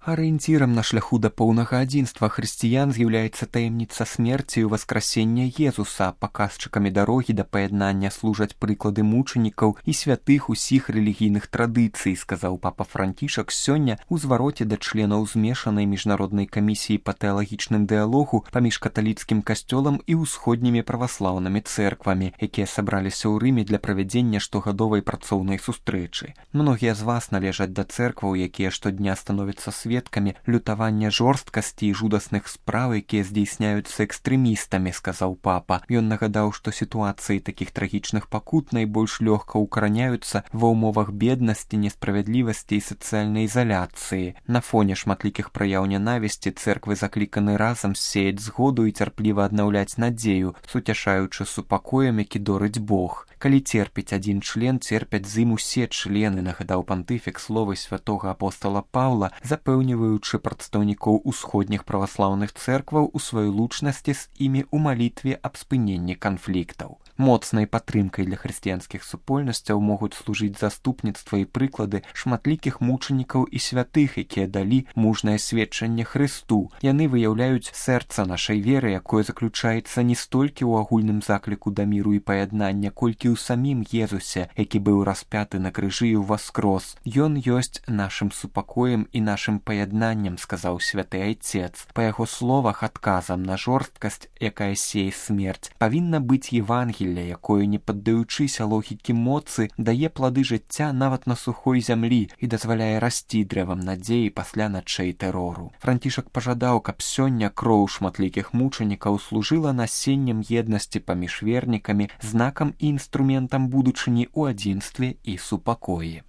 Арыенцірам на шляху да поўнага адзінства хрысціян з'яўляецца таямніца смерці і ўваскрасення Езуса. Паказчыкамі дарогі да паяднання служаць прыклады мучанікаў і святых усіх рэлігійных традыцый, сказаў папа Францішак сёння ў звароце да членаў змешанай міжнароднай камісіі па тэалагічным дыялогу паміж каталіцкім касцёлам і ўсходнімі праваслаўнымі цэрквамі, якія сабраліся ў Рыме для правядзення штогадовай працоўнай сустрэчы. Многія з вас належаць да цэркваў, якія штодня становяцца сведкамі лютавання жорсткасці і жудасных спраў, якія здзейсняюцца экстрэмістамі, сказаў папа. Ён нагадаў, што сітуацыі такіх трагічных пакут найбольш лёгка укараняюцца ва ўмовах беднасці, несправядлівасці і сацыяльнай ізаляцыі. На фоне шматлікіх праяў нянавісці цэрквы закліканы разам сеяць згоду і цярпліва аднаўляць надзею, суцяшаючы супакоем, які дорыць Бог. Калі церпіць адзін член, церпяць з ім усе члены, нагадаў пантыфік словы святога апостола Паўла, запэўніваючы прадстаўнікоў усходніх праваслаўных цэркваў у сваёй лучнасці з імі ў малітве аб спыненні канфліктаў. Моцнай падтрымкай для хрысціянскіх супольнасцяў могуць служыць заступніцтва і прыклады шматлікіх мучанікаў і святых, якія далі мужнае сведчанне Хрысту. Яны выяўляюць сэрца нашай веры, якое заключаецца не столькі ў агульным закліку да міру і паяднання, колькі ў самім Езусе, які быў распяты на крыжы і ўваскрос. Ён ёсць нашым супакоем і нашым паяднаннем, сказаў святы айцец. Па яго словах, адказам на жорсткасць, якая сее смерць, павінна быць Евангелие, якое, не паддаючыся логікі моцы, дае плады жыцця нават на сухой зямлі і дазваляе расці дрэвам надзеі пасля начэй тэрору. Францішак пажадаў, каб сёння кроў шматлікіх мучанікаў служыла насеннем еднасці паміж вернікамі, знакам і інструментам будучыні ў адзінстве і супакоі.